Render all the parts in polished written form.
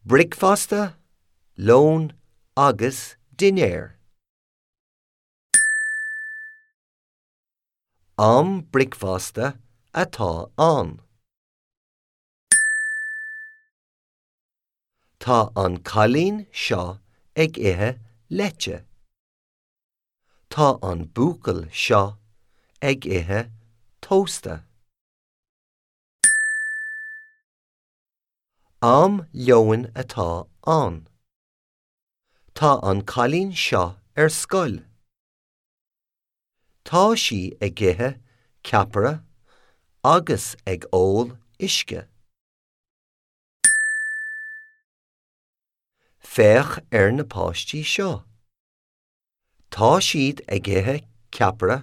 Bricfeasta, lón agus dinnéar. Am bricfeasta atá ann. Tá an cailín seo ag ithe leite. Tá an buachaill seo ag ithe tósta. Am lóin atá ann. Tá an cailín seo ar scoil. Tá sí ag ithe ceapaire agus ag ól uisce. Féach ar na páistí seo. Tá siad ag ithe ceapaire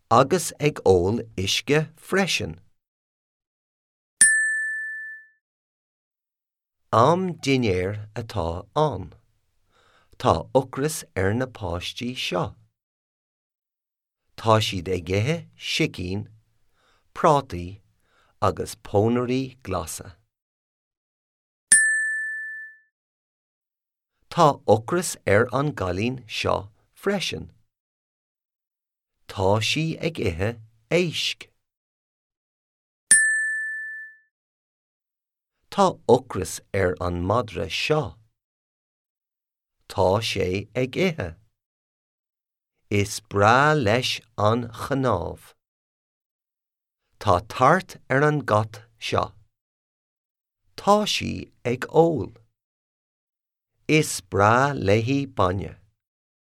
agus ag ól uisce freisin. Am dinnéir atá ann. Tá ocras ar na páistí seo. Tá siad ag ithe sicín, prátaí agus pónairí glasa. Tá ocras ar an gcailín seo freisin. Tá sí ag ithe éisc. Tá ocras ar an madra seo. Tá sé ag ithe. Is breá leis an chnámh. Tá tart ar an gcat seo. Tá sí ag ól. Is breá léi bainne.